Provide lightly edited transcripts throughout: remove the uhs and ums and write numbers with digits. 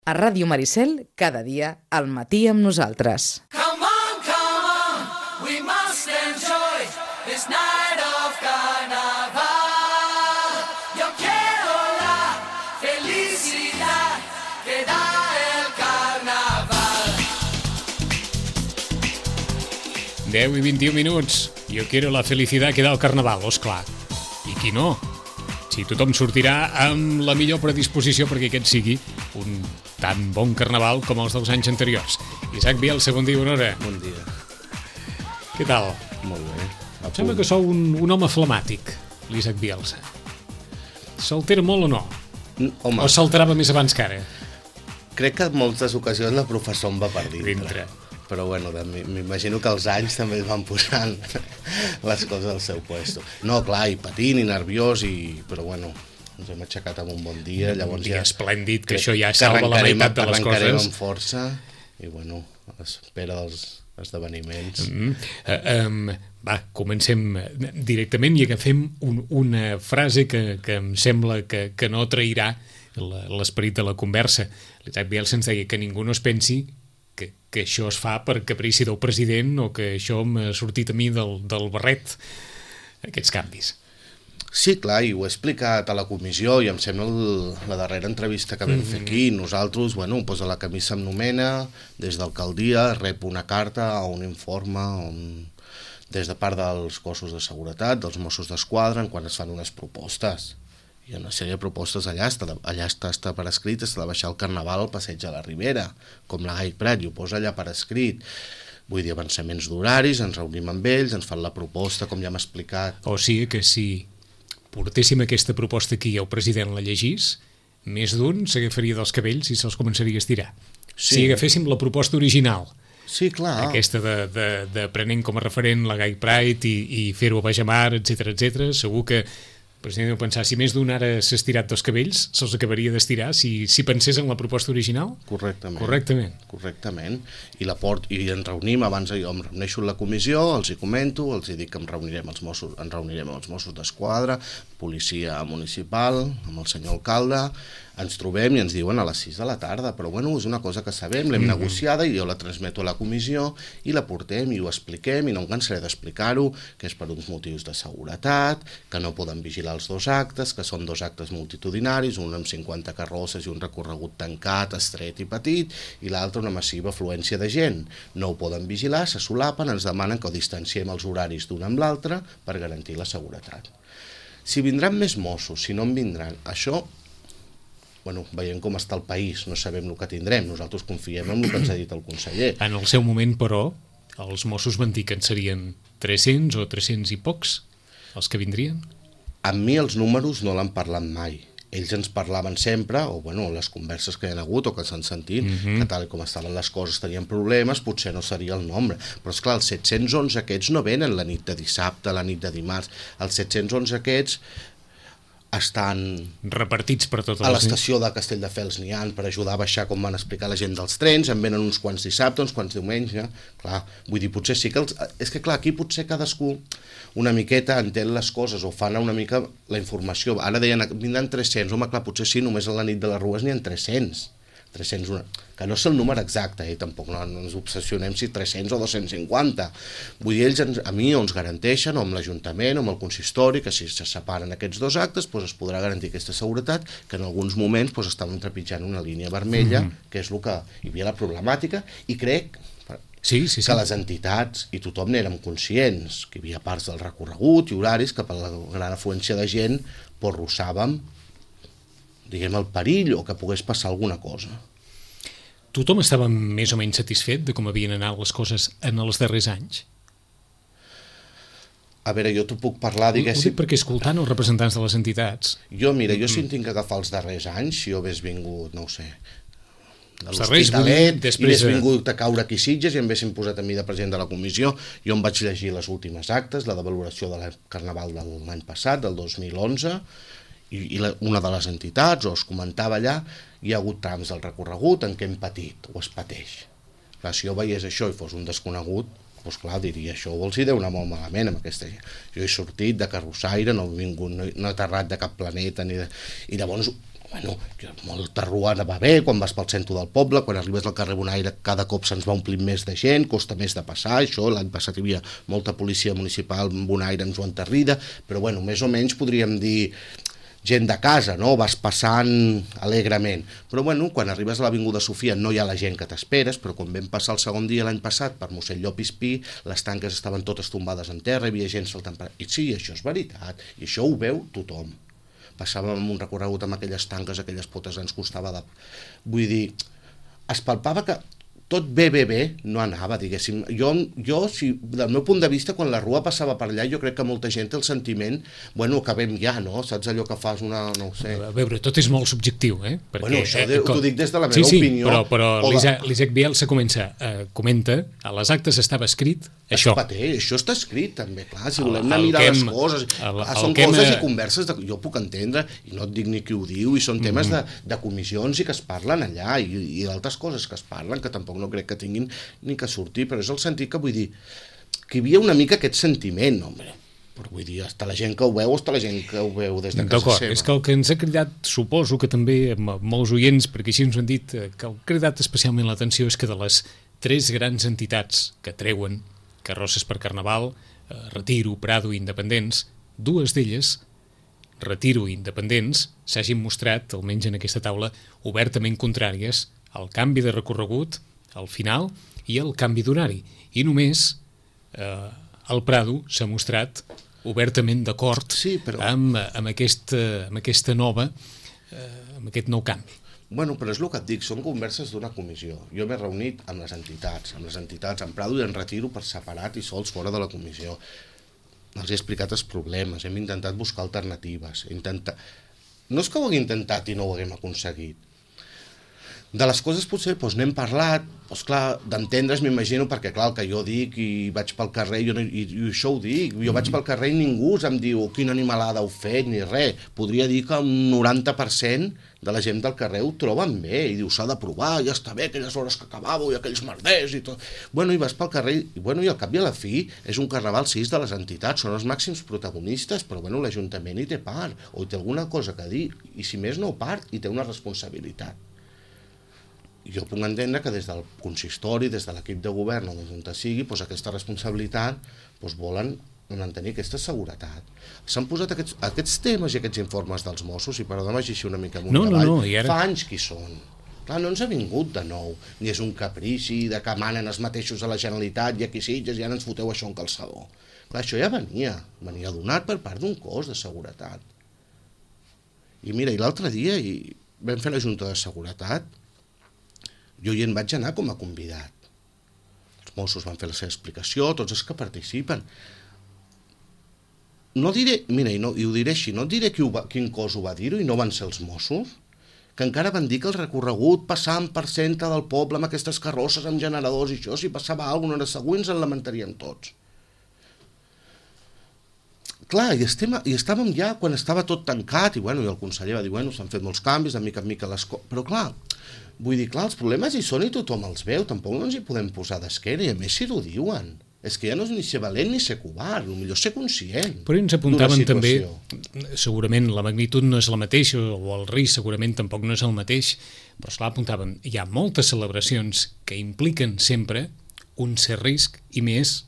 A Ràdio Maricel, cada dia, al matí amb nosaltres. Come on, we must enjoy this night of carnaval. Yo quiero la felicidad que da el carnaval. 10 i 21 minuts. Jo quiero la felicidad que da el carnaval, esclar. I qui no? Si tothom sortirà amb la millor predisposició perquè aquest sigui un tan bon carnaval com els dels anys anteriors. Isaac Bielsa, bon dia, bona hora. Bon dia. Què tal? Molt bé. Em sembla que sou un home flemàtic, l'Isaac Bielsa. S'altera molt o no? Home, O s'alterava més abans que ara? crec que en moltes ocasions la professor em va per dintre. Però bueno, m'imagino que els anys també es van posant les coses al seu puesto. No, clar, i patint i nerviós, però bueno, ens hem aixecat amb un bon dia. Llavors Un dia ja esplèndid, que això ja salva la meitat de les arrencarem coses. amb força i bueno, a l'espera dels esdeveniments. Va, comencem directament i agafem una frase que em sembla que no trairà l'esperit de la conversa. L'Isaac Bielsa ens deia que ningú no es pensi que això es fa per caprici del president o que això m'ha sortit a mi del barret, aquests canvis. Sí, clar, i ho he explicat a la comissió i em sembla la darrera entrevista que vam fer aquí. Nosaltres, bueno, doncs a la camisa em nomena, des d'alcaldia rep una carta o un informe des de part dels cossos de seguretat, dels Mossos d'Esquadra, quan es fan unes propostes. Hi ha una sèrie de propostes allà està per escrit, està de baixar el carnaval al passeig de la Ribera, com la Gai Prat, i ho posa allà per escrit. Vull dir, avançaments d'horaris, ens reunim amb ells, ens fan la proposta, com ja hem explicat. O sigui que si portéssim aquesta proposta aquí i el president la llegís, més d'un s'agafaria dels cabells i se'ls començaria a estirar. Sí. Si agaféssim la proposta original, Sí, clar. aquesta de prenent com a referent la Gai Pride i fer-ho a Bajamar, etc, segur que el president deu pensar, si més d'un ara s'ha estirat dels cabells, se'ls acabaria d'estirar si pensés en la proposta original? Correctament. I ens reunim, abans jo em reuneixo en la comissió, els hi comento, els hi dic que ens reunirem amb els Mossos d'Esquadra, policia municipal, amb el senyor alcalde, ens trobem i ens diuen a les 6 de la tarda, però bueno, és una cosa que sabem, l'hem negociada i jo la transmeto a la comissió i la portem i ho expliquem i no em cansaré d'explicar-ho, que és per uns motius de seguretat, que no poden vigilar els dos actes, que són dos actes multitudinaris, un amb 50 carrosses i un recorregut tancat, estret i petit, i l'altre una massiva afluència de gent. No ho poden vigilar, se solapen, ens demanen que ho distanciem els horaris d'un amb l'altre per garantir la seguretat. Si vindran més Mossos, si no en vindran, això... Bueno, veiem com està el país, no sabem el que tindrem, nosaltres confiem en el que ens ha dit el conseller. En el seu moment, però, els Mossos van dir que en serien 300 o 300 i pocs els que vindrien? Amb mi els números no l'han parlat mai. Ells ens parlaven sempre, o bueno, les converses que hi ha hagut o que s'han sentit, que tal com estaven les coses tenien problemes, potser no seria el nombre. Però esclar, els 711 aquests no venen la nit de dissabte, la nit de dimarts. Els 711 aquests estan repartits per totes a l'estació de Castelldefels n'hi ha per ajudar a baixar, com van explicar la gent dels trens, en venen uns quants dissabte, uns quants diumenge, clar, vull dir, potser sí que és que clar, aquí potser cadascú una miqueta entén les coses o fan una mica la informació. Ara deien, vindran 300, home, clar, potser sí, només a la nit de les Rues n'hi ha 300, que no és el número exacte, tampoc no ens obsessionem si 300 o 250. Vull dir, ells a mi ens garanteixen, o amb l'Ajuntament, o amb el consistori, que si se separen aquests dos actes es podrà garantir aquesta seguretat, que en alguns moments estaven trepitjant una línia vermella, que és el que hi havia la problemàtica, i crec sí. que les entitats i tothom n'érem conscients, que hi havia parts del recorregut i horaris que per la gran afluència de gent arrossàvem, diguem, el perill o que pogués passar alguna cosa. Tothom estava més o menys satisfet de com havien anat les coses en els darrers anys? A veure, jo t'ho puc parlar, diguéssim... Ho dic perquè escoltant els representants de les entitats... Jo si en tinc que agafar els darrers anys, si jo hagués vingut, no ho sé, de l'Hospitalet, i hagués vingut a caure aquí Sitges i em haguessin posat a mi de president de la comissió, jo em vaig llegir les últimes actes, la de valoració del Carnaval de l'any passat, del 2011, i una de les entitats, o es comentava allà, hi ha hagut trams del recorregut en què hem patit, o es pateix. Clar, si jo veiés això i fos un desconegut, doncs clar, diria, això vols hi deu anar molt malament amb aquesta gent. Jo he sortit de carrossaire, no he aterrat de cap planeta, i llavors bueno, molta rua va bé, quan vas pel centre del poble, quan arribes al carrer Bonaire cada cop se'ns va omplint més de gent, costa més de passar, això, l'any passat hi havia molta policia municipal en Bonaire, en Joan Tarrida, però bueno, més o menys podríem dir gent de casa, no? Vas passant alegrement. Però bueno, quan arribes a l'Avinguda Sofia no hi ha la gent que t'esperes, però quan vam passar el segon dia l'any passat per mossèn Llopis Pi, les tanques estaven totes tombades en terra, hi havia gent saltant per... I sí, això és veritat, i això ho veu tothom. Passàvem un recorregut amb aquelles tanques, aquelles potes, ens costava de... Vull dir, es palpava que tot bé no anava, diguéssim. Jo si, del meu punt de vista, quan la rua passava per allà, jo crec que molta gent té el sentiment, bueno, acabem ja, no? Saps allò que fas una... no ho sé. A veure, tot és molt subjectiu, eh? Perquè, bueno, això t'ho dic des de la meva opinió. Sí, però l'Isaac Bielsa comenta, a les actes estava escrit això. Això està escrit, també, clar, si volem anar a mirar les coses. Són coses i converses, jo puc entendre, i no et dic ni qui ho diu, i són temes de comissions i que es parlen allà, i d'altres coses que es parlen, que tampoc no crec que tinguin ni que sortir, però és el sentit que vull dir que hi havia una mica aquest sentiment, home, però vull dir, està la gent que ho veu, està la gent que ho veu des de casa seva. És que el que ens ha cridat, suposo que també molts oients, perquè així ens ho han dit, que ha cridat especialment l'atenció és que de les 3 grans entitats que treuen carrosses per Carnaval, Retiro, Prado i Independents, 2 d'elles, Retiro i Independents, s'hagin mostrat, almenys en aquesta taula, obertament contràries al canvi de recorregut al final i el canvi d'horari. I només el Prado s'ha mostrat obertament d'acord amb aquesta nova, amb aquest nou canvi. Bueno, però és el que et dic, són converses d'una comissió. Jo m'he reunit amb les entitats, en Prado i en Retiro per separat i sols fora de la comissió. Els he explicat els problemes, hem intentat buscar alternatives. No és que ho haguem intentat i no ho haguem aconseguit. De les coses potser n'hem parlat, clar, d'entendre's m'imagino, perquè clar, el que jo dic i vaig pel carrer, i això ho dic, jo vaig pel carrer i ningú em diu quina animalada heu fet, ni res. Podria dir que un 90% de la gent del carrer ho troben bé, i diu s'ha de provar, ja està bé, aquelles hores que acabàveu i aquells merders i tot. Bueno, i vas pel carrer, i al cap i a la fi és un carnaval 6 de les entitats, són els màxims protagonistes, però bueno, l'Ajuntament hi té part, o hi té alguna cosa que dir, i si més no part, hi té una responsabilitat. Jo puc entendre que des del consistori, des de l'equip de govern o des d'on sigui, aquesta responsabilitat volen mantenir aquesta seguretat. S'han posat aquests temes i aquests informes dels Mossos, i perdona'm així una mica amunt avall, fa anys que hi són. Clar, no ens ha vingut de nou, ni és un caprici de que manen els mateixos a la Generalitat i aquí Sitges i ara ens foteu això en calçador. Clar, això ja venia donat per part d'un cos de seguretat. I mira, i l'altre dia vam fer la Junta de Seguretat, jo hi en vaig anar com a convidat. Els Mossos van fer la seva explicació, tots els que participen. No diré, mira, i ho diré així, no et diré quin cos ho va dir-ho i no van ser els Mossos, que encara van dir que el recorregut passant per centre del poble amb aquestes carrosses, amb generadors i això, si passava alguna hora següents en lamentaríem tots. Clar, i estàvem ja quan estava tot tancat, i el conseller va dir, s'han fet molts canvis, de mica en mica les coses, però clar, vull dir, els problemes hi són i tothom els veu, tampoc no ens hi podem posar d'esquena, i a més si ho diuen. És que ja no és ni ser valent ni ser covard, potser ser conscient. Però ens apuntaven també, segurament la magnitud no és la mateixa, o el risc segurament tampoc no és el mateix, però esclar, apuntaven, hi ha moltes celebracions que impliquen sempre un cert risc, i més,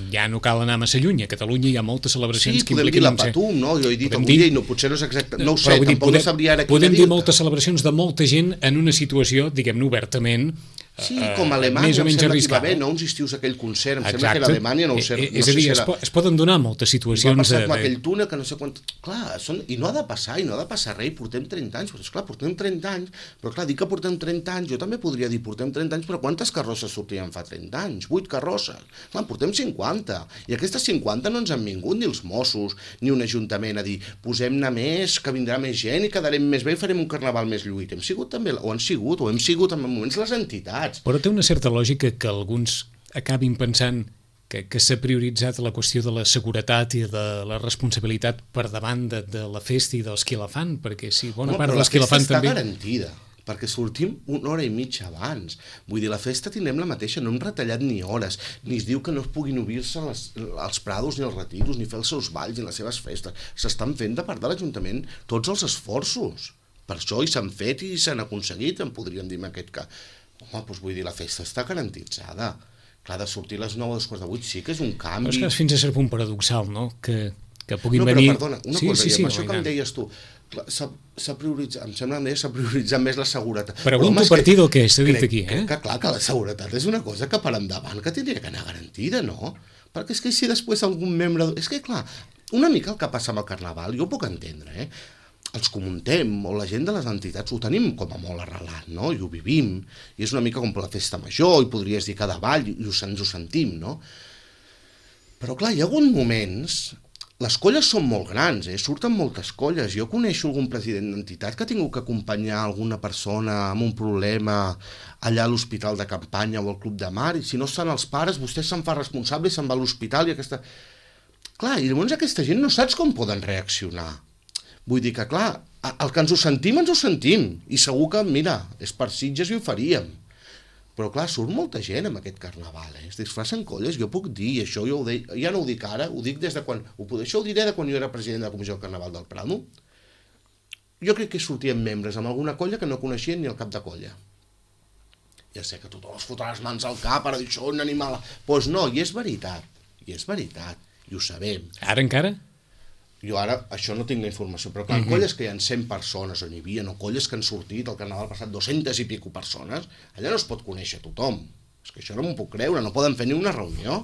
ja no cal anar massa lluny, a Catalunya hi ha moltes celebracions que impliquen... Sí, podem dir la Patum, no? Jo he dit avui i potser no és exacte, no ho sé, tampoc no sabria ara podem dir moltes celebracions de molta gent en una situació, diguem-ne, obertament, sí, com a Alemanya, em sembla que hi va haver, no? Uns estius aquell concert, em sembla que era Alemanya, no ho sé. És a dir, es poden donar moltes situacions... Va passar com aquell túnel que no sé quant... Clar, i no ha de passar res, i portem 30 anys, però esclar, portem 30 anys, però clar, dir que portem 30 anys, jo també podria dir portem 30 anys, però quantes carrosses sortien fa 30 anys? 8 carrosses. Clar, portem 50, i aquestes 50 no ens han vingut ni els Mossos, ni un ajuntament a dir, posem-ne més, que vindrà més gent i quedarem més bé i farem un carnaval més lluït. Hem sigut també, o hem sigut en moments les entitats. Però té una certa lògica que alguns acabin pensant que s'ha prioritzat la qüestió de la seguretat i de la responsabilitat per davant de la festa i dels qui la fan, perquè sí, bona part dels qui la fan també... Però la festa està garantida. perquè sortim una hora i mitja abans. Vull dir, la festa tindrem la mateixa, no hem retallat ni hores, ni es diu que no es puguin obrir-se els prados ni els retiros, ni fer els seus balls ni les seves festes. S'estan fent de part de l'Ajuntament tots els esforços. Per això i s'han fet i s'han aconseguit, en podríem dir en aquest cas. Home, doncs vull dir, la festa està garantitzada. Clar, de sortir a les 9 o 7:45 sí que és un canvi. Però és que fins a cert punt paradoxal, no? Que puguin no, venir... No, però perdona, una cosa, i amb això que em deies tu, s'ha prioritzat, em sembla que s'ha prioritzat més la seguretat. Pregunto a partir del que s'ha dit aquí, eh? Que clar, que la seguretat és una cosa que per endavant que tindria que anar garantida, no? Perquè és que si després algun membre... És que clar, una mica el que passa amb el Carnaval, jo ho puc entendre, eh? Els que ho muntem, o la gent de les entitats, ho tenim com a molt arrelat, no? I ho vivim, i és una mica com la festa major, i podries dir cada ball, i ens ho sentim, no? Però clar, hi ha hagut moments... Les colles són molt grans, surten moltes colles. Jo coneixo algun president d'entitat que ha tingut que acompanyar alguna persona amb un problema allà a l'hospital de campanya o al club de mar, i si no estan els pares, vostè se'n fa responsable i se'n va a l'hospital i aquesta... Clar, i llavors aquesta gent no saps com poden reaccionar. Vull dir que, clar, el que ens ho sentim, i segur que, mira, és per Sitges i ho faríem. Però clar, surt molta gent amb aquest Carnaval, es disfracen colles, jo puc dir, i això jo ho dic, ja no ho dic ara, ho dic des de quan, això ho diré de quan jo era president de la Comissió del Carnaval del Prado. Jo crec que sortien membres amb alguna colla que no coneixien ni el cap de colla. Ja sé que tothom es fotrà les mans al cap, ara dir, això un animal... Doncs no, i és veritat, i ho sabem. Ara encara? Jo ara, això no tinc la informació, però clar, colles que hi ha 100 persones on hi havia, no colles que han sortit al Carnaval passat 200 i pico persones, allà no es pot conèixer tothom. És que això no m'ho puc creure, no poden fer ni una reunió.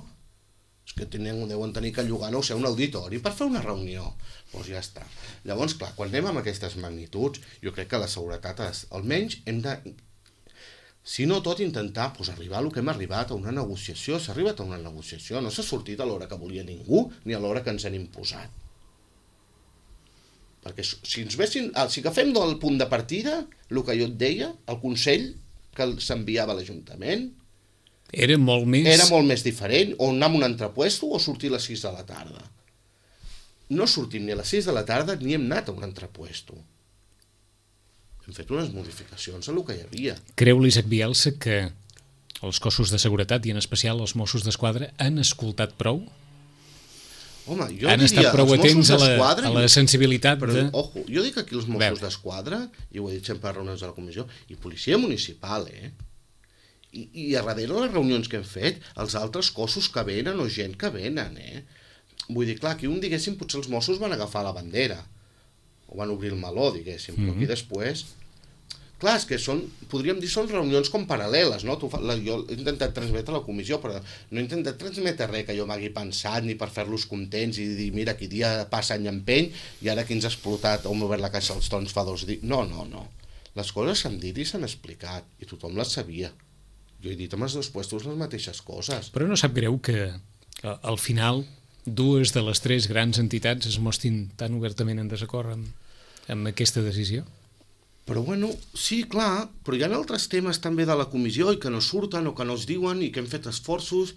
És que deuen tenir que llogar, no sé, un auditori per fer una reunió. Doncs ja està. Llavors, clar, quan anem amb aquestes magnituds, jo crec que la seguretat, almenys hem de, si no tot, intentar arribar a lo que hem arribat, a una negociació. S'ha arribat a una negociació, no s'ha sortit a l'hora que volia ningú, ni a l'hora que ens han imposat. Perquè si agafem del punt de partida, el que jo et deia, el Consell que s'enviava a l'Ajuntament era molt més diferent, o anar a un entrepuesto o sortir a les 6 de la tarda. No sortim ni a les 6 de la tarda ni hem anat a un entrepuesto. Hem fet unes modificacions a el que hi havia. Creu l'Isaac Bielsa que els cossos de seguretat, i en especial els Mossos d'Esquadra, han escoltat prou? Home, jo han estat prou atents a la sensibilitat de... Ojo, jo dic aquí els Mossos d'Esquadra, i ho he dit sempre a reunions de la comissió, i policia municipal, I a darrere les reunions que hem fet, els altres cossos que venen o gent que venen, Vull dir, clar, aquí diguéssim, potser els Mossos van agafar la bandera, o van obrir el meló, diguéssim, però aquí després... Clar, és que podríem dir, són reunions com paral·leles, no? Jo he intentat transmetre a la comissió, però no he intentat transmetre res que jo m'hagi pensat, ni per fer-los contents i dir, mira, aquí dia passa any empeny, i ara aquí ens ha explotat, hem obert la caixa als tons fa 2 dies. No. Les coses s'han dit i s'han explicat, i tothom les sabia. Jo he dit amb els 2 puestos les mateixes coses. Però no sap greu que al final 2 de les 3 grans entitats es mostrin tan obertament en desacord amb aquesta decisió? Però bueno, sí, clar, però hi ha altres temes també de la comissió i que no surten o que no es diuen i que hem fet esforços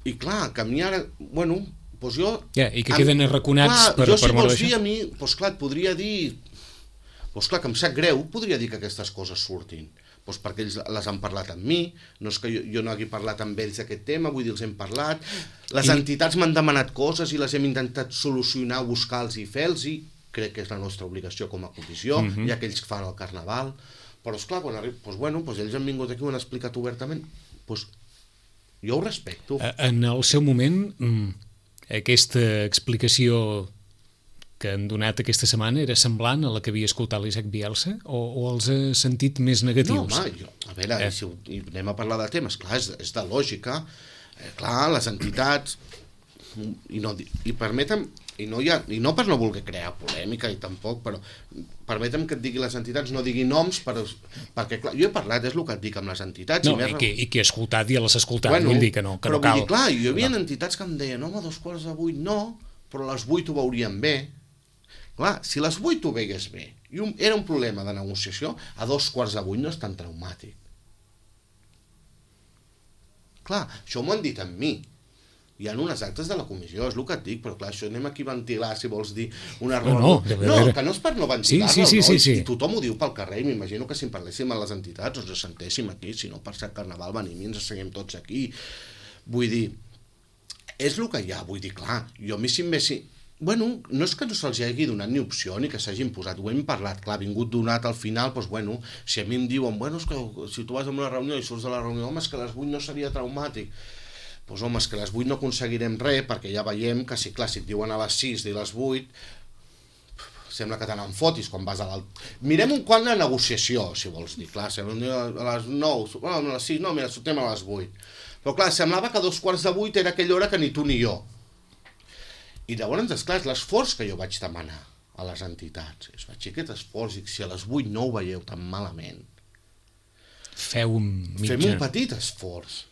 i clar, que a mi ara, bueno, doncs jo... I que queden arraconats per jo si moure vols dir a mi, doncs clar, et podria dir, doncs clar, que em sap greu, podria dir que aquestes coses surtin, doncs perquè ells les han parlat amb mi, no és que jo no hagi parlat amb ells d'aquest tema, vull dir, els hem parlat, les entitats m'han demanat coses i les hem intentat solucionar, buscar-los i fer-los, crec que és la nostra obligació com a comissió, hi ha aquells que fan el Carnaval, però esclar, quan arriba, doncs ells han vingut aquí i ho han explicat obertament, doncs jo ho respecto. En el seu moment, aquesta explicació que han donat aquesta setmana era semblant a la que havia escoltat l'Isaac Bielsa o els ha sentit més negatius? No, home, a veure, si anem a parlar de temes, clar, és de lògica, clar, les entitats, i permetem, i no per no voler crear polèmica i tampoc, però permetem que et digui les entitats, no digui noms, perquè clar, jo he parlat, és el que et dic amb les entitats. No, i que he escoltat i les he escoltat, vull dir que no cal. Però vull dir, clar, hi havia entitats que em deien, home, 7:45 no, però a les 8 ho veuríem bé. Clar, si a les 8 ho veies bé, i era un problema de negociació, a 7:45 no és tan traumàtic. Clar, això m'ho han dit amb mi. Hi ha unes actes de la comissió, és el que et dic, però clar, això anem aquí a ventilar, si vols dir una No, que no és per no ventilar-la, sí. I tothom ho diu pel carrer, i m'imagino que si en parléssim a les entitats ens sentéssim aquí, si no per ser Carnaval venim i ens asseguem tots aquí. Vull dir, és el que hi ha, vull dir, clar, jo a mi si em vessi... Bueno, no és que no se'ls hagi donat ni opció ni que s'hagin posat, ho hem parlat, clar, vingut donat al final, doncs bueno, si a mi em diuen, bueno, és que si tu vas a una reunió i surts de la reunió, home, és que a les 8 no seria traumàtic. Doncs home, és que a les 8 no aconseguirem res, perquè ja veiem que si, clar, si et diuen a les 6 i a les 8, sembla que te n'en fotis quan vas a l'alt... Mirem un quant de negociació, si vols dir, clar, a les 9, bueno, a les 6, no, mira, sortim a les 8. Però clar, semblava que a 7:15 era aquella hora que ni tu ni jo. I llavors, esclar, és l'esforç que jo vaig demanar a les entitats. Es vaig dir aquest esforç, i si a les 8 no ho veieu tan malament, fem un petit esforç.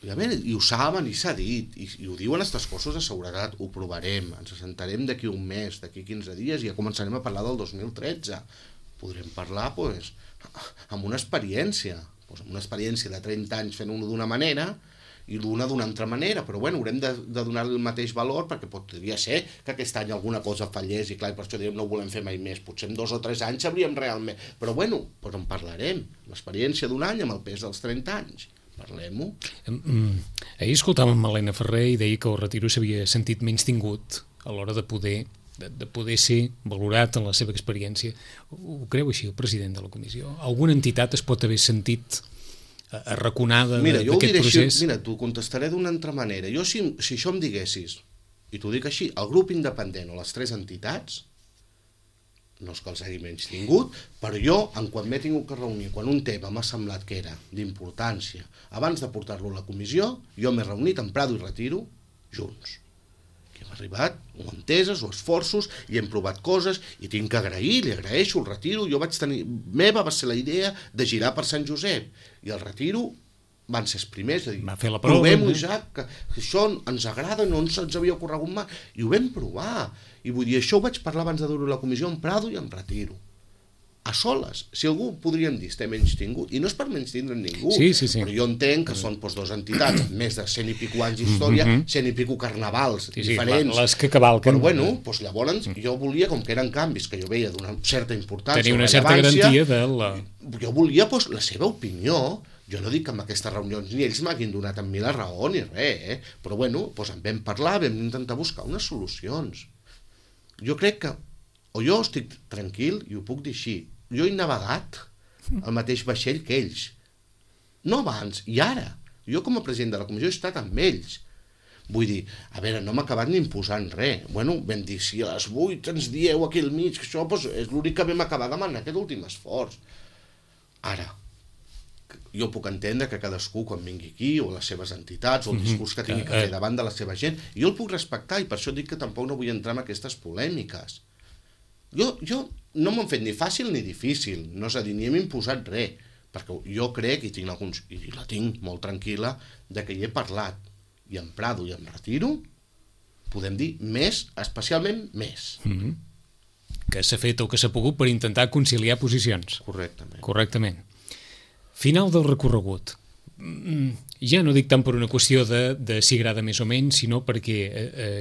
I, a veure, i ho saben, i s'ha dit, i ho diuen aquests cossos de seguretat, ho provarem, ens assentarem d'aquí un mes, d'aquí 15 dies, i ja començarem a parlar del 2013. Podrem parlar, doncs, amb una experiència, amb una experiència de 30 anys fent-ho d'una manera, i l'una d'una altra manera, però bueno, haurem de donar-li el mateix valor, perquè podria ser que aquest any alguna cosa fallés, i clar, per això diríem no ho volem fer mai més, potser en 2 o 3 anys sabríem realment, però bueno, doncs en parlarem, l'experiència d'un any amb el pes dels 30 anys, parlem-ho. Ahir escoltàvem amb Helena Ferrer i deia que el retiro s'havia sentit menys tingut a l'hora de poder ser valorat en la seva experiència. Ho creu així el president de la comissió? Alguna entitat es pot haver sentit arraconada d'aquest procés? Mira, t'ho contestaré d'una altra manera. Jo, si això em diguessis, i t'ho dic així, el grup independent o les 3 entitats, no és que els hagi menys tingut, però jo, en quan m'he tingut que reunir, quan un tema m'ha semblat que era d'importància, abans de portar-lo a la comissió, jo m'he reunit amb Prado i Retiro junts. Hem arribat, o enteses, o esforços, i hem provat coses, i tinc que agrair, li agraeixo el Retiro, jo vaig tenir... Meva va ser la idea de girar per Sant Josep, i el Retiro van ser els primers, de dir, provem-ho ja, que això ens agrada, no ens havia ocorregut mai, i ho vam provar, i vull dir, això ho vaig parlar abans de dur-ho a la comissió amb Prado i amb Retiro. A soles, si algú podríem dir estem menys tingut, i no és per menys tindre ningú, però jo entenc que són 2 entitats amb més de 100 i pico anys d'història, 100 i pico carnavals diferents, les que cavalquen. Però bueno, doncs llavors jo volia, com que eren canvis que jo veia d'una certa importància, tenir una certa garantia de la... Jo volia la seva opinió. Jo no dic que en aquestes reunions ni ells m'hagin donat amb mi la raó ni res, però bueno, en vam parlar, vam intentar buscar unes solucions. Jo crec que, o jo estic tranquil i ho puc dir així, jo he navegat al mateix vaixell que ells. No abans, i ara. Jo com a president de la comissió he estat amb ells. Vull dir, a veure, no m'ha acabat ni imposant res. Bueno, vam dir, si a les 8 ens dieu aquí al mig, que això és l'únic que vam acabar demanant, aquest últim esforç. Ara, jo puc entendre que cadascú quan vingui aquí, o les seves entitats, o el discurs que tingui que fer davant de la seva gent, jo el puc respectar, i per això dic que tampoc no vull entrar en aquestes polèmiques. Jo no m'han fet ni fàcil ni difícil, no és a dir, ni hem imposat res, perquè jo crec, i la tinc molt tranquil·la, de que hi he parlat, i en Prado i en Retiro, podem dir més, especialment més. Que s'ha fet o que s'ha pogut per intentar conciliar posicions. Correctament. Final del recorregut. Ja no dic tant per una qüestió de si agrada més o menys, sinó perquè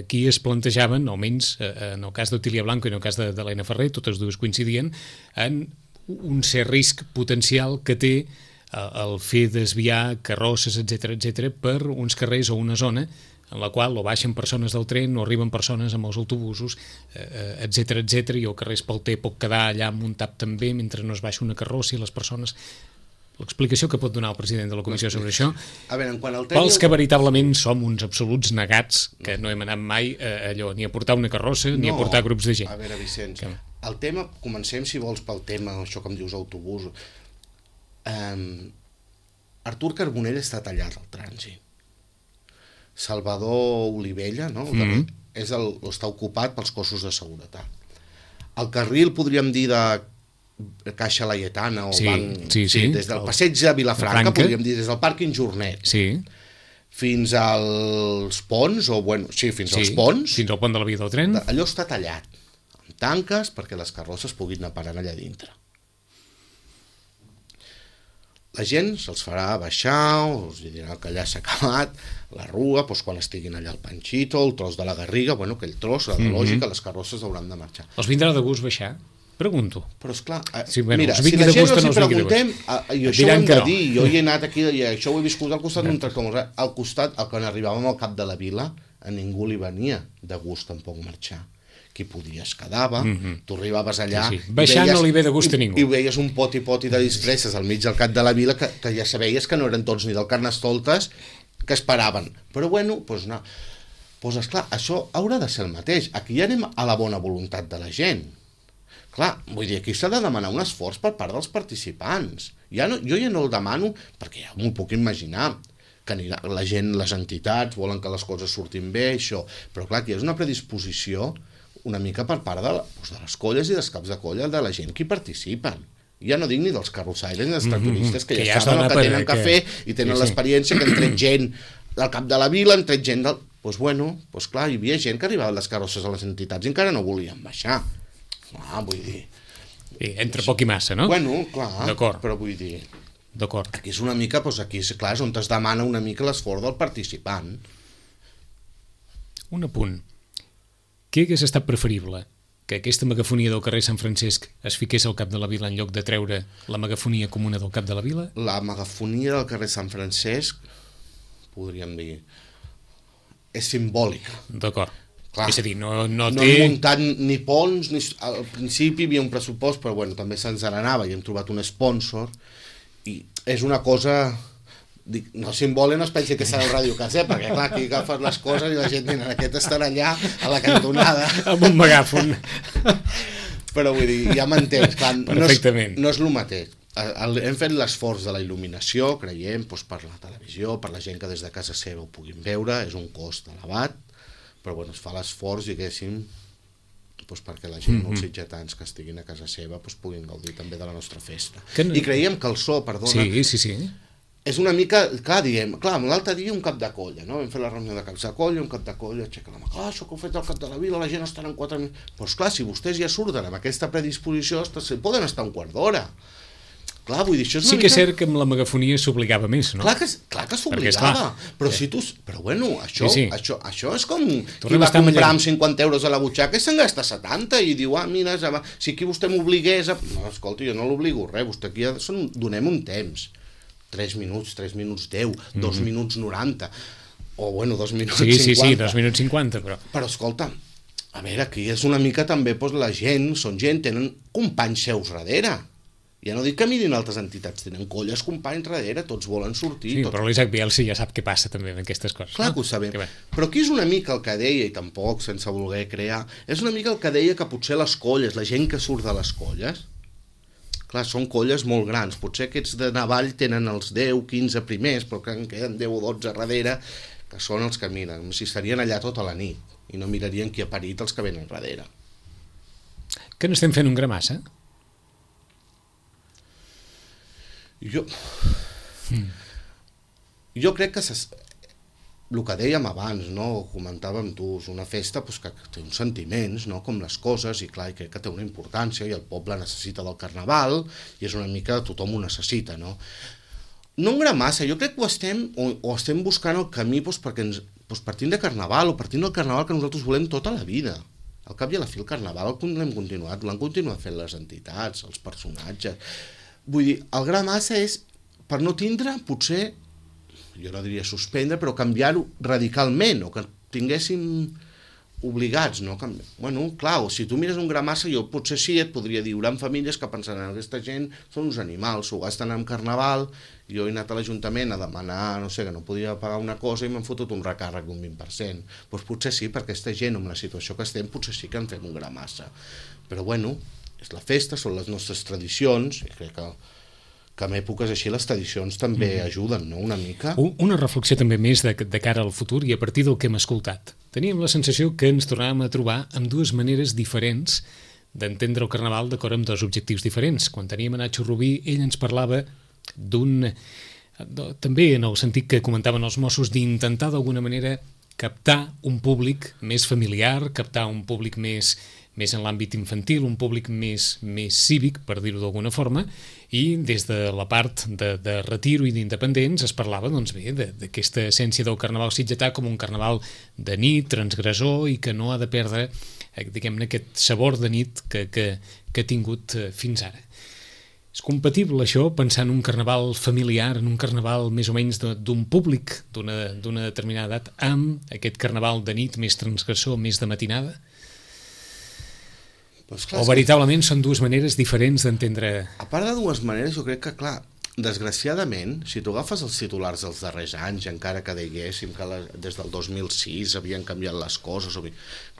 aquí es plantejaven, almenys en el cas d'Otília Blanco i en el cas d'Helena Ferrer, totes dues coincidien, en un cert risc potencial que té el fer desviar carrosses, etc per uns carrers o una zona en la qual o baixen persones del tren o arriben persones amb els autobusos, etc, i el carrer Espalter pot quedar allà amb un tap també mentre no es baixa una carrossa i les persones... L'explicació que pot donar el president de la comissió sobre això, pels que veritablement som uns absoluts negats, que no hem anat mai allò ni a portar una carrossa ni a portar grups de gent. A veure, Vicenç, el tema, comencem si vols pel tema, això que em dius autobús. Artur Carbonell està tallat al trànsit. Salvador Olivella, no? Està ocupat pels cossos de seguretat. El carril, podríem dir, de Caixa Laietana o banc, des del passeig de Vilafranca, podríem dir, des del pàrquing Jornet fins als ponts, fins als ponts, fins al pont de la via del tren, allò està tallat amb tanques perquè les carrosses puguin anar parant allà dintre. la gent se'ls farà baixar, us dirà que allà s'ha acabat, la rua, doncs quan estiguin allà el Panxito, el tros de la Garriga, bueno, aquell tros, la lògica, les carrosses hauran de marxar. Els vindrà de gust baixar? Pregunto. Però esclar, sí, bueno, mira, si la gent els hi preguntem, i això ho hem de dir, jo hi he anat aquí, i això ho he viscut al costat d'un tractor, al costat, quan arribàvem al cap de la vila, a ningú li venia de gust tampoc marxar. Qui podia es quedava, tu arribaves allà... Sí. Baixar no li ve de gust a ningú. I veies un poti de disfresses al mig del cap de la vila que ja sabeies que no eren tots ni del Carnestoltes que esperaven. Però bueno, doncs no. Doncs esclar, això haurà de ser el mateix. Aquí ja anem a la bona voluntat de la gent. Clar, vull dir, aquí s'ha de demanar un esforç per part dels participants. Jo ja no el demano, perquè ja m'ho puc imaginar, que la gent, les entitats, volen que les coses surtin bé, això. Però clar, aquí és una predisposició una mica per part de les colles i dels caps de colla de la gent que hi participen. Ja no dic ni dels carrossaires ni dels tractoristes, que ja saben el que tenen que fer i tenen l'experiència que han tret gent del cap de la vila, han tret gent del... Doncs bueno, clar, hi havia gent que arribava a les carrosses a les entitats i encara no volien baixar. Clar, vull dir... Entre poc i massa, no? Bueno, clar, però vull dir... D'acord. Aquí és una mica, doncs aquí, clar, és on es demana una mica l'esforç del participant. Un apunt. Què hagués estat preferible? Que aquesta megafonia del carrer Sant Francesc es fiqués al cap de la vila en lloc de treure la megafonia comuna del cap de la vila? La megafonia del carrer Sant Francesc, podríem dir, és simbòlica. D'acord. Clar, és a dir, no té... No hem muntat ni ponts, al principi hi havia un pressupost, però bueno, també se'ns n'anava i hem trobat un sponsor, i és una cosa... Dic, no simbòlica, no es pensi que serà el Ràdio Casset, perquè clar, aquí agafes les coses i la gent diu, aquest estarà allà a la cantonada amb un megàfon. Però vull dir, ja m'entens, clar, perfectament. No és el mateix. Hem fet l'esforç de la il·luminació, creiem, doncs, per la televisió, per la gent que des de casa seva ho puguin veure, és un cost elevat, però bueno, es fa l'esforç, diguéssim, doncs perquè la gent, els sitgetans que estiguin a casa seva, doncs, puguin gaudir també de la nostra festa. I creiem que el so, perdona... Sí. És una mica, clar, diem, clar, l'altre dia un cap de colla, no? Vam fer la reunió de caps de colla, un cap de colla, aixeca la mà, clar, això que heu fet al cap de la vila, la gent estarà en 4 minuts... Doncs clar, si vostès ja surten amb aquesta predisposició, poden estar un quart d'hora. Clar, vull dir, això és una mica... Sí que és cert que amb la megafonia s'obligava més, no? Clar que s'obligava, però si tu... Però bueno, això és com qui va comprar amb 50 euros a la butxaca i se'n gasta 70 i diu, mira, si aquí vostè m'obligués a... No, escolta, jo no l'obligo res, vostè aquí ja donem un temps. 3 minuts 10, 2 minuts 90, o bueno, 2 minuts 50. Sí, 2 minuts 50, però... Però escolta, a veure, aquí és una mica també, doncs la gent, tenen companys seus darrere. Ja no dic que mirin altres entitats, tenen colles companys darrere, tots volen sortir. Sí, però l'Isaac Bielsi ja sap què passa també amb aquestes coses. Clar que ho sabem, però aquí és una mica el que deia, i tampoc sense voler crear, és una mica el que deia que potser les colles, la gent que surt de les colles, clar, són colles molt grans, potser aquests de Navall tenen els 10, 15 primers, però que en queden 10 o 12 darrere, que són els que miren, si estarien allà tota la nit, i no mirarien qui ha parit els que venen darrere. Que no estem fent un gramassa? Jo crec que el que dèiem abans, no? Comentàvem tu, és una festa doncs, que té uns sentiments, no? Com les coses, i clar, crec que té una importància, i el poble necessita del carnaval, i és una mica, tothom ho necessita, no? No un gran massa, jo crec que estem buscant el camí doncs, perquè partint de carnaval, o partint del carnaval que nosaltres volem tota la vida. Al cap i a la fi el carnaval l'hem continuat, l'han continuat fent les entitats, els personatges. Vull dir, el gran massa és, per no tindre, potser, jo no diria suspendre, però canviar-ho radicalment, o que tinguéssim obligats, no? Bueno, clar, o si tu mires un gran massa, jo potser sí et podria dir, hi haurà famílies que pensaran, aquesta gent són uns animals, s'ho gasten en carnaval, jo he anat a l'Ajuntament a demanar, no sé, que no podia pagar una cosa i m'han fotut un recàrrec d'un 20%. Doncs potser sí, perquè aquesta gent, amb la situació que estem, potser sí que en fem un gran massa. Però bueno, és la festa, són les nostres tradicions, i crec que en èpoques així les tradicions també ajuden, no?, una mica. Una reflexió també més de cara al futur i a partir del que hem escoltat. Teníem la sensació que ens tornàvem a trobar amb dues maneres diferents d'entendre el carnaval d'acord amb dos objectius diferents. Quan teníem a Nacho Rubí, ell ens parlava també en el sentit que comentaven els Mossos, d'intentar d'alguna manera captar un públic més familiar, captar un públic més en l'àmbit infantil, un públic més cívic, per dir-ho d'alguna forma, i des de la part de retiro i d'independents es parlava d'aquesta essència del carnaval sitgetà com un carnaval de nit, transgressor, i que no ha de perdre diguem-ne aquest sabor de nit que ha tingut fins ara. És compatible això, pensar en un carnaval familiar, en un carnaval més o menys d'un públic d'una determinada edat, amb aquest carnaval de nit més transgressor, més de matinada? Pues clar, o veritablement són dues maneres diferents d'entendre... A part de dues maneres, jo crec que, clar, desgraciadament, si tu agafes els titulars dels darrers anys, encara que diguéssim que des del 2006 havien canviat les coses,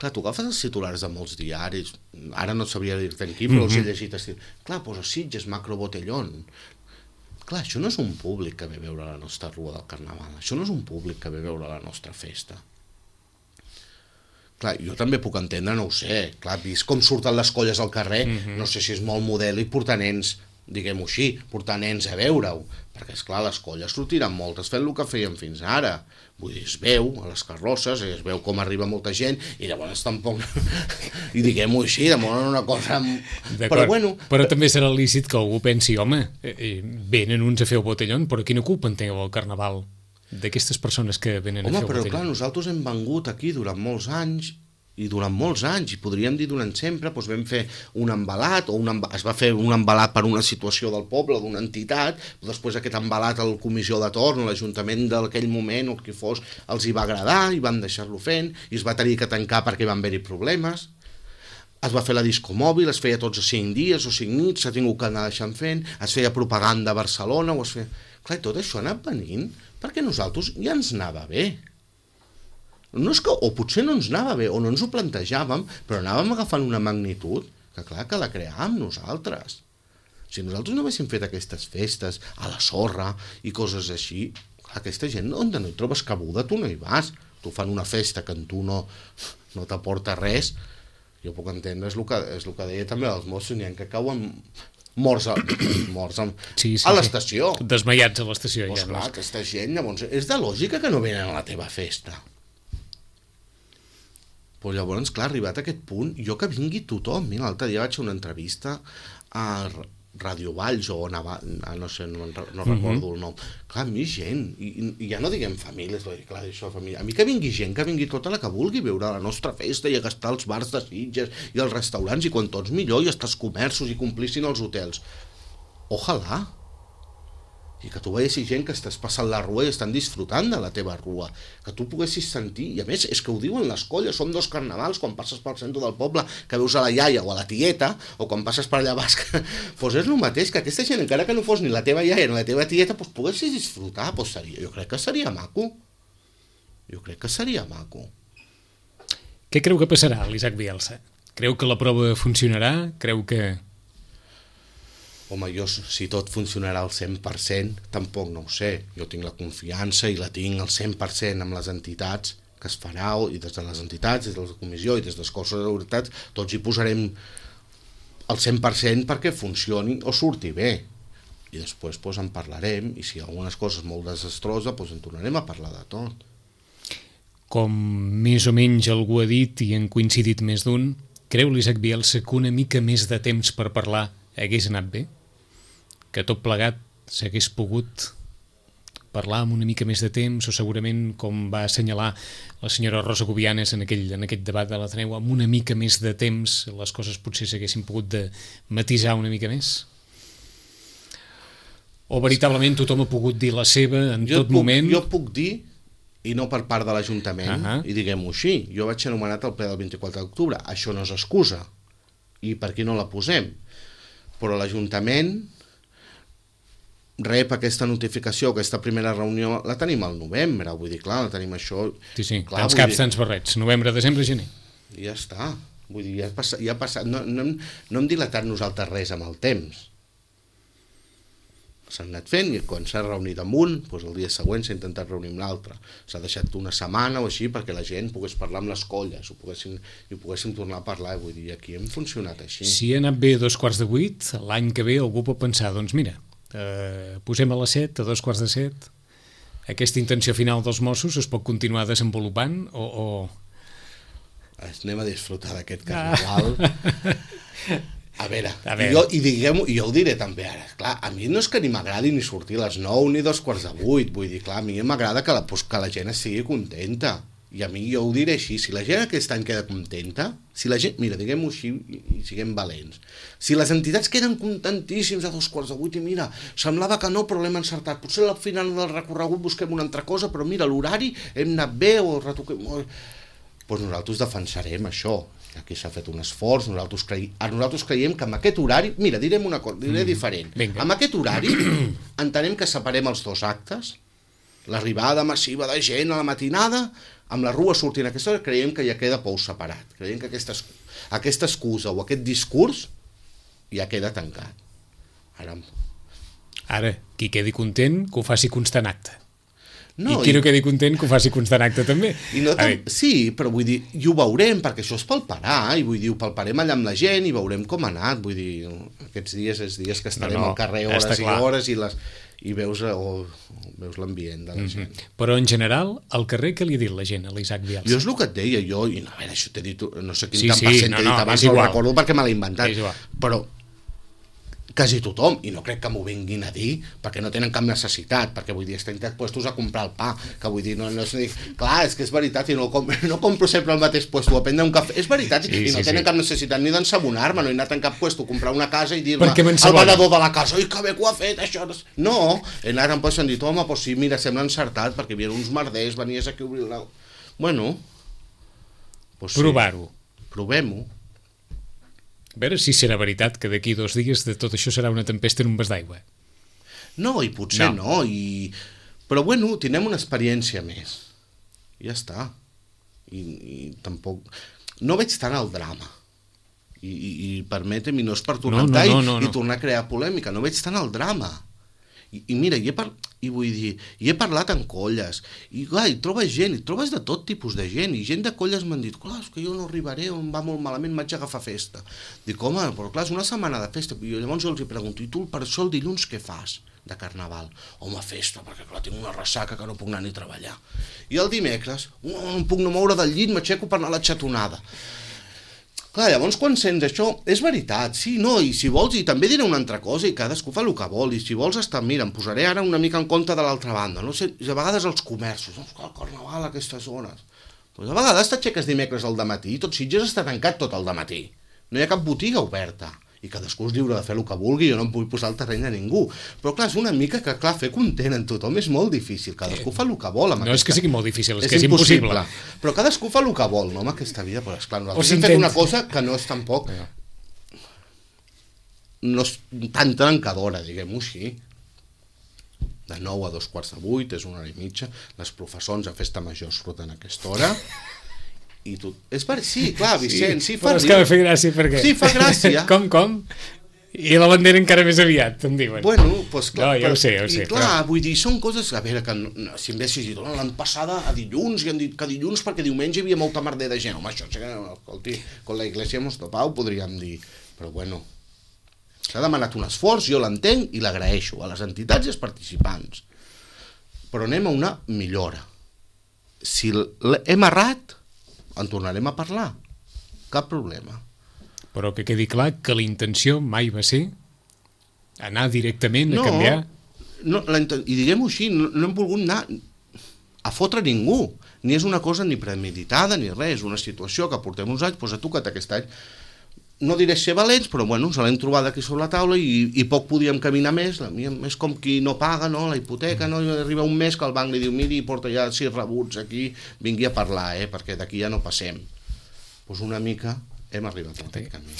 clar, tu agafes els titulars de molts diaris, ara no et sabria dir-te en quin, però els he llegit, clar, posa Sitges, Macro Botellón. Clar, això no és un públic que ve a veure la nostra rua del Carnaval, això no és un públic que ve a veure la nostra festa. Clar, jo també puc entendre, no ho sé, clar, vist com surten les colles al carrer, no sé si és molt model i portar nens, diguem-ho així, portar nens a veure-ho, perquè esclar, les colles sortiran moltes fent el que feien fins ara, vull dir, es veu a les carrosses, es veu com arriba molta gent, i llavors tampoc, i diguem-ho així, demoren una cosa... Però bueno... Però també serà lícit que algú pensi, home, venen uns a fer el botellón, però quina culpa en teniu al Carnaval d'aquestes persones que venen a fer el botellón? Home, però clar, nosaltres hem vengut aquí durant molts anys, i podríem dir durant sempre, doncs vam fer un embalat, es va fer un embalat per una situació del poble, d'una entitat, però després aquest embalat a la comissió de torn, l'Ajuntament d'aquell moment, o el que fos, els hi va agradar i van deixar-lo fent, i es va tenir que tancar perquè van haver-hi problemes. Es va fer la disco mòbil, es feia tots a 5 dies o 5 nits, s'ha tingut que anar deixant fent, es feia propaganda a Barcelona, o es feia... Clar, tot això ha anat venint perquè nosaltres ja ens anava bé. No és que, o potser no ens anava bé, o no ens ho plantejàvem, però anàvem agafant una magnitud que clar que la creàvem nosaltres. Si nosaltres no haguéssim fet aquestes festes a la sorra i coses així, clar, aquesta gent on no hi trobes cabuda, tu no hi vas. Tu fan una festa que en tu no t'aporta res. Jo puc entendre, és el que deia també els Mossos, n'hi ha que cauen morts a l'estació. Desmaiats a l'estació. Doncs clar, aquesta gent, llavors, és de lògica que no venen a la teva festa. Però llavors, clar, arribat a aquest punt, jo que vingui tothom. Mira, l'altre dia vaig fer una entrevista a Radio Valls o no sé, no recordo el nom. Clar, a mi gent, i ja no diguem famílies, clar, això família. A mi que vingui gent, que vingui tota la que vulgui veure la nostra festa i a gastar els bars de Sitges i els restaurants, i quan tots millor, i hasta els comerços i complissin els hotels. Ojalà. I que tu veiessis gent que estàs passant la rua i estan disfrutant de la teva rua, que tu poguessis sentir, i a més és que ho diuen les colles, són 2 carnavals, quan passes pel centre del poble que veus a la iaia o a la tieta, o quan passes per allà baix, doncs és el mateix, que aquesta gent, encara que no fos ni la teva iaia ni la teva tieta, doncs poguessis disfrutar, doncs jo crec que seria maco. Què creu que passarà, l'Isaac Bielsa? Creu que la prova funcionarà? Creu que... Home, jo, si tot funcionarà al 100%, tampoc no ho sé. Jo tinc la confiança i la tinc al 100% amb les entitats que es farà, i des de les entitats, des de la comissió i des dels cossos de seguretat, tots hi posarem al 100% perquè funcioni o surti bé. I després en parlarem, i si hi ha algunes coses molt desastroses, en tornarem a parlar de tot. Com més o menys algú ha dit, i han coincidit més d'un, creu l'Isaac Bielsa que una mica més de temps per parlar hagués anat bé? Que tot plegat s'hagués pogut parlar amb una mica més de temps, o segurament, com va assenyalar la senyora Rosa Gubianes en aquest debat de l'Ateneu, amb una mica més de temps les coses potser s'haguessin pogut de matisar una mica més? O veritablement tothom ha pogut dir la seva en tot moment? Jo puc dir, i no per part de l'Ajuntament, i diguem-ho així, jo vaig anomenat el ple del 24 d'octubre, això no és excusa, i per què no la posem? Però l'Ajuntament rep aquesta notificació, aquesta primera reunió, la tenim al novembre, vull dir, clar, la tenim això... Sí, clar, tants caps, tants barrets, novembre, desembre, gener. I ja està, vull dir, ja ha passat, no hem dilatat nosaltres res amb el temps. S'han anat fent, i quan s'ha reunit amb un, doncs el dia següent s'ha intentat reunir amb l'altre. S'ha deixat una setmana o així perquè la gent pogués parlar amb les colles, i poguéssim tornar a parlar, vull dir, aquí hem funcionat així. Si ha anat bé a 7:15, l'any que ve algú pot pensar, doncs mira, posem a les 7, a 7:15, aquesta intenció final dels Mossos es pot continuar desenvolupant o... Anem a disfrutar d'aquest carnaval. A veure. Jo ho diré també ara. Clar, a mi no és que ni m'agradi ni sortir a les 9 ni 7:45. Vull dir, clar, a mi m'agrada que la gent estigui contenta. I a mi jo ho diré així, si la gent aquest any queda contenta, si la gent, mira, diguem-ho així i siguem valents, si les entitats queden contentíssims a 7:45 i mira, semblava que no, però l'hem encertat, potser al final del recorregut busquem una altra cosa, però mira, l'horari hem anat bé o retoquem... Doncs nosaltres defensarem això, aquí s'ha fet un esforç, nosaltres creiem que amb aquest horari, mira, direm una cosa, diré diferent, amb aquest horari entenem que separem els dos actes, l'arribada massiva de gent a la matinada, amb la rua sortint a aquesta hora, creiem que ja queda pou separat. Creiem que aquesta excusa o aquest discurs ja queda tancat. Ara, qui quedi content, que ho faci constant acte. No, I qui no quedi content, que ho faci constant acte també. Sí, però vull dir, i ho veurem, perquè això es palparà, i vull dir, ho palparem allà amb la gent i veurem com ha anat. Vull dir, aquests dies és dies que estarem al carrer hores i hores i veus l'ambient de la gent. Però en general, al carrer què li ha dit la gent a l'Isaac Bielsa? Jo és el que et deia, a veure, això t'he dit, no sé quin tant per cent t'he dit abans, no ho recordo perquè me l'he inventat, però quasi tothom, i no crec que m'ho vinguin a dir perquè no tenen cap necessitat, perquè vull dir, estan puestos a comprar el pa, que vull dir, no és dir, clar, és que és veritat, i no compro sempre al mateix puesto a prendre un cafè, és veritat, i no tenen cap necessitat ni d'ensabonar-me, no he anat en cap puesto a comprar una casa i dir-me al venedor de la casa, oi, que bé que ho ha fet, això, no, he anat en puesto i han dit, home, doncs sí, mira, sembla encertat, perquè hi havia uns merders, venies aquí a obrir la... Bueno, doncs sí. Provar-ho. Provem-ho. A veure si serà veritat que d'aquí 2 dies de tot això serà una tempesta en un vas d'aigua. No, i potser no. Però bueno, tindrem una experiència més. Ja està. I tampoc... No veig tant el drama. I permetem, i no és per tornar i tornar a crear polèmica, no veig tant el drama. I mira, i vull dir, he parlat amb colles, i clar, hi trobes gent, i trobes de tot tipus de gent, i gent de colles m'han dit, clar, és que jo no arribaré, em va molt malament, vaig agafar festa. Dic, home, però clar, és una setmana de festa, i llavors jo els pregunto, i tu per això el dilluns què fas de carnaval? Home, festa, perquè clar, tinc una ressaca que no puc anar ni a treballar. I el dimecres, no em puc no moure del llit, m'aixeco per anar a la xatonada. Clar, llavors quan sents això, és veritat, sí, no, i si vols, i també diré una altra cosa, i cadascú fa el que vol, i si vols estar, mira, em posaré ara una mica en compte de l'altra banda, no sé, a vegades els comerços, no, el carnaval a aquestes zones, doncs a vegades t'aixeques dimecres al dematí i tot Sitges està tancat tot el dematí, no hi ha cap botiga oberta, i cadascú és lliure de fer el que vulgui, jo no em vull posar al terreny a ningú, però clar, és una mica que clar, fer content en tothom és molt difícil, cadascú fa el que vol. No és que sigui molt difícil, és que és impossible. Però cadascú fa el que vol, no, amb aquesta vida, però esclar, nosaltres hem fet una cosa que no és tampoc, no és tan trencadora, diguem-ho així. De 9 a 7:45, és 1 hora i mitja, les professors a festa major surten a aquesta hora, i tu... Sí, clar, Vicent, sí, fa... Però és que ha de fer gràcia, perquè... Sí, fa gràcia. Com? I la bandera encara més aviat, em diuen. Bueno, doncs clar... No, ja ho sé. I clar, vull dir, són coses... A veure, que si em haguessis dit, l'any passada a dilluns, i han dit que dilluns perquè diumenge hi havia molta merder de gent. Home, això, escolti, con la iglesia hemos topado, podríem dir. Però bueno, s'ha demanat un esforç, jo l'entenc i l'agraeixo a les entitats i als participants. Però anem a una millora. Si hem errat, en tornarem a parlar. Cap problema. Però que quedi clar que la intenció mai va ser anar directament a canviar. No, i diguem-ho així, no hem volgut anar a fotre ningú. Ni és una cosa ni premeditada ni res, és una situació que portem uns anys, doncs ha tocat aquest any. No diré ser valents, però bueno, ens l'hem trobat aquí sobre la taula i poc podíem caminar més. És com qui no paga, no, la hipoteca, no, arriba un mes que el banc li diu, miri, porta ja 6 rebuts aquí, vingui a parlar, perquè d'aquí ja no passem. Doncs una mica hem arribat a aquest camí.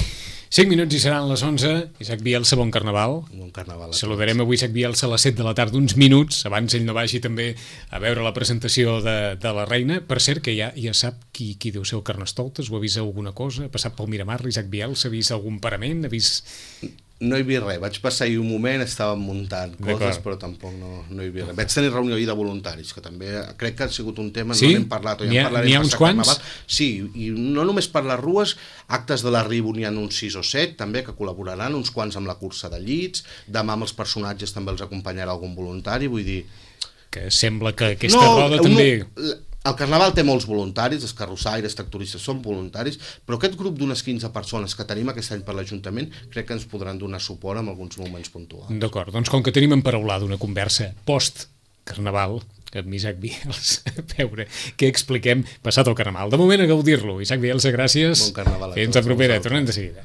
5 minuts i seran les 11. Isaac Bielsa, bon carnaval. Bon carnaval. Saludarem avui Isaac Bielsa a les 7 de la tarda, uns minuts, abans ell no vagi també a veure la presentació de la reina. Per cert, que ja sap qui deu ser el Carnestoltes, o ha vist alguna cosa? Ha passat pel Miramar, Isaac Bielsa, ha vist algun parament? Ha vist... No he vist res, vaig passar-hi un moment, estàvem muntant coses, però tampoc no he vist res. Vaig tenir reunió de voluntaris, que també crec que ha sigut un tema, sí? No n'hem parlat, o ja en parlarem. N'hi ha uns quants? Sí, i no només per les rues, actes de l'arribo n'hi ha uns 6 o 7, també, que col·laboraran, uns quants amb la cursa de llits, demà amb els personatges també els acompanyarà algun voluntari, vull dir... que sembla que aquesta roda també... El Carnaval té molts voluntaris, els carrossaires, tractoristes són voluntaris, però aquest grup d'unes 15 persones que tenim aquest any per l'Ajuntament crec que ens podran donar suport en alguns moments puntuals. D'acord, doncs com que tenim emparaulada una conversa post-Carnaval amb Isaac Biels, a veure què expliquem passat el Carnaval. De moment a gaudir-lo. Isaac Biels, gràcies. Bon Carnaval a tots. Fins a propera, tornem de seguida.